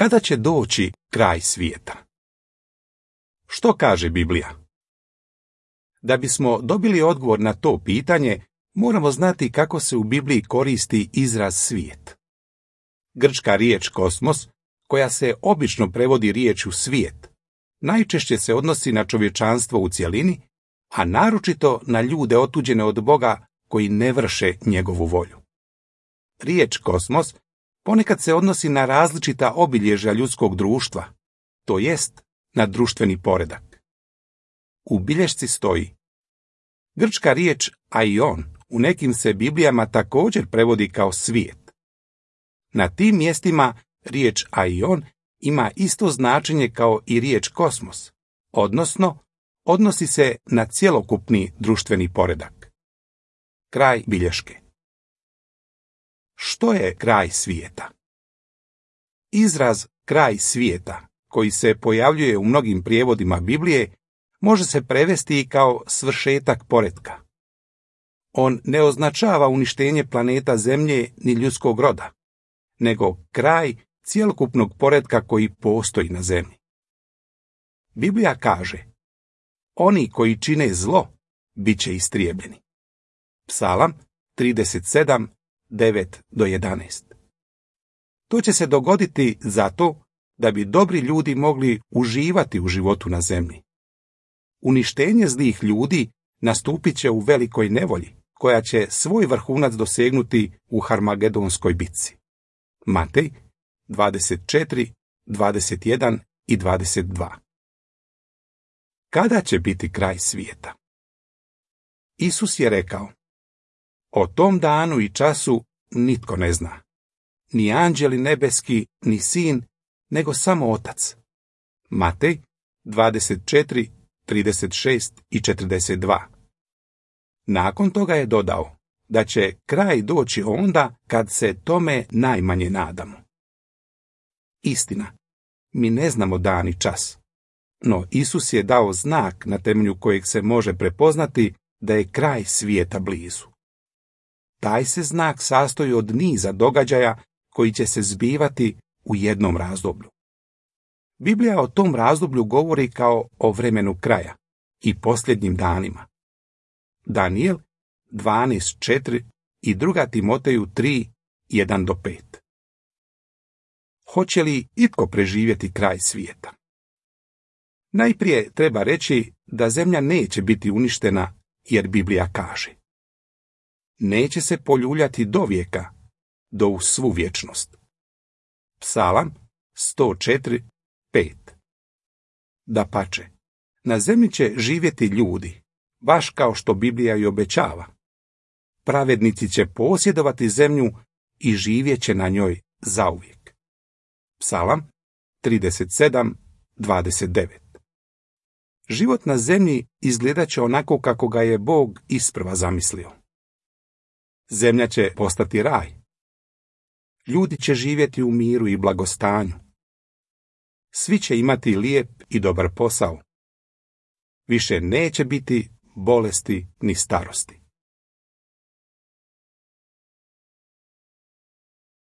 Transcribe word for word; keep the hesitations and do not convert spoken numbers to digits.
Kada će doći kraj svijeta? Što kaže Biblija? Da bismo dobili odgovor na to pitanje, moramo znati kako se u Bibliji koristi izraz svijet. Grčka riječ kosmos, koja se obično prevodi riječju svijet, najčešće se odnosi na čovječanstvo u cjelini, a naročito na ljude otuđene od Boga koji ne vrše njegovu volju. Riječ kosmos ponekad se odnosi na različita obilježja ljudskog društva, to jest na društveni poredak. U bilješci stoji: grčka riječ aion u nekim se Biblijama također prevodi kao svijet. Na tim mjestima riječ aion ima isto značenje kao i riječ kosmos, odnosno odnosi se na cjelokupni društveni poredak. Kraj bilješke. Što je kraj svijeta? Izraz kraj svijeta, koji se pojavljuje u mnogim prijevodima Biblije, može se prevesti i kao svršetak poretka. On ne označava uništenje planeta Zemlje ni ljudskog roda, nego kraj cjelokupnog poretka koji postoji na Zemlji. Biblija kaže: oni koji čine zlo bit će istrijebljeni. Psalam trideset sedam, devet do jedanaest. To će se dogoditi zato da bi dobri ljudi mogli uživati u životu na zemlji. Uništenje zlih ljudi nastupit će u velikoj nevolji, koja će svoj vrhunac dosegnuti u Harmagedonskoj bitci. Matej dvadeset četiri, dvadeset jedan i dvadeset dva. Kada će biti kraj svijeta? Isus je rekao: o tom danu i času nitko ne zna, ni anđeli nebeski, ni sin, nego samo Otac. Matej dvadeset četiri, trideset šest i četrdeset dva. Nakon toga je dodao da će kraj doći onda kad se tome najmanje nadamo. Istina, mi ne znamo dan i čas, no Isus je dao znak na temelju kojeg se može prepoznati da je kraj svijeta blizu. Taj se znak sastoji od niza događaja koji će se zbivati u jednom razdoblju. Biblija o tom razdoblju govori kao o vremenu kraja i posljednjim danima. Danijel dvanaest četiri i druga Timoteju tri, jedan do pet. Hoće li itko preživjeti kraj svijeta? Najprije treba reći da zemlja neće biti uništena, jer Biblija kaže: neće se poljuljati do vijeka, do u svu vječnost. Psalam sto četiri, pet. Dapače, na zemlji će živjeti ljudi, baš kao što Biblija i obećava. Pravednici će posjedovati zemlju i živjet će na njoj zauvijek. Psalam trideset sedam, dvadeset devet. Život na zemlji izgledat će onako kako ga je Bog isprva zamislio. Zemlja će postati raj. Ljudi će živjeti u miru i blagostanju. Svi će imati lijep i dobar posao. Više neće biti bolesti ni starosti.